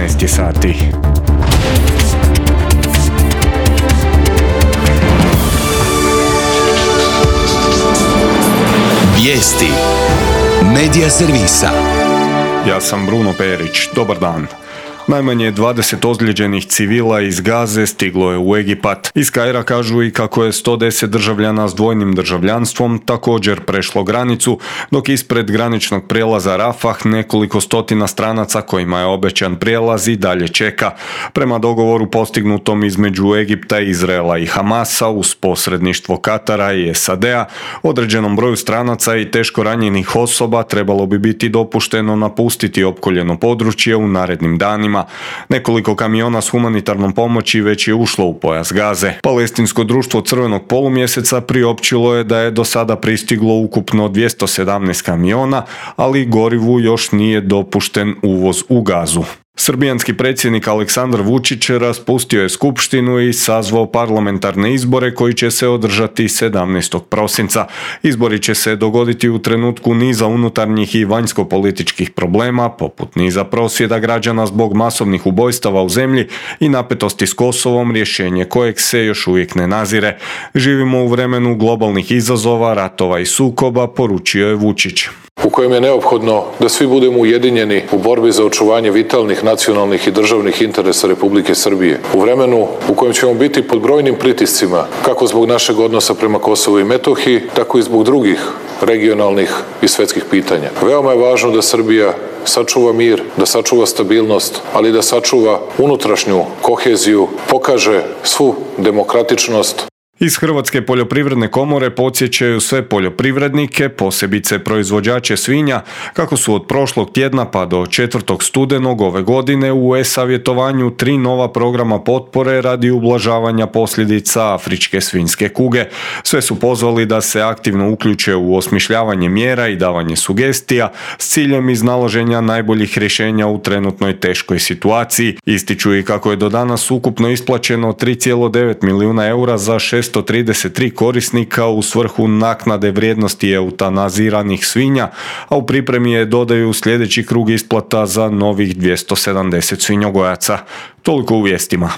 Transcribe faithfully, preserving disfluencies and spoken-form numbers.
šesnaest je sati. Vijesti Medija servisa. Ja sam Bruno Perić. Dobar dan. Najmanje dvadeset ozlijeđenih civila iz Gaze stiglo je u Egipat. Iz Kaira kažu i kako je sto deset državljana s dvojnim državljanstvom također prešlo granicu, dok ispred graničnog prijelaza Rafah nekoliko stotina stranaca kojima je obećan prijelaz i dalje čeka. Prema dogovoru postignutom između Egipta, Izraela i Hamasa uz posredništvo Katara i S A D-a, određenom broju stranaca i teško ranjenih osoba trebalo bi biti dopušteno napustiti opkoljeno područje u narednim danima. Nekoliko kamiona s humanitarnom pomoći već je ušlo u pojas Gaze. Palestinsko društvo Crvenog polumjeseca priopćilo je da je do sada pristiglo ukupno dvjesto sedamnaest kamiona, ali gorivu još nije dopušten uvoz u Gazu. Srbijanski predsjednik Aleksandar Vučić raspustio je skupštinu i sazvao parlamentarne izbore koji će se održati sedamnaestog prosinca. Izbori će se dogoditi u trenutku niza unutarnjih i vanjsko-političkih problema, poput niza prosvjeda građana zbog masovnih ubojstava u zemlji i napetosti s Kosovom, rješenje kojeg se još uvijek ne nazire. Živimo u vremenu globalnih izazova, ratova i sukoba, poručio je Vučić. U kojem je neophodno da svi budemo ujedinjeni u borbi za očuvanje vitalnih nacionalnih i državnih interesa Republike Srbije. U vremenu u kojem ćemo biti pod brojnim pritiscima, kako zbog našeg odnosa prema Kosovu i Metohiji, tako i zbog drugih regionalnih i svetskih pitanja. Veoma je važno da Srbija sačuva mir, da sačuva stabilnost, ali da sačuva unutrašnju koheziju, pokaže svu demokratičnost. Iz Hrvatske poljoprivredne komore podsjećaju sve poljoprivrednike, posebice proizvođače svinja, kako su od prošlog tjedna pa do četvrtog studenog ove godine u e-savjetovanju tri nova programa potpore radi ublažavanja posljedica afričke svinjske kuge. Sve su pozvali da se aktivno uključe u osmišljavanje mjera i davanje sugestija s ciljem iznalaženja najboljih rješenja u trenutnoj teškoj situaciji. Ističu i kako je do danas ukupno isplaćeno tri zarez devet milijuna eura za šesto trideset tri korisnika u svrhu naknade vrijednosti eutanaziranih svinja, a u pripremi je dodaju sljedeći krug isplata za novih dvjesto sedamdeset svinjogojaca. Toliko u vijestima.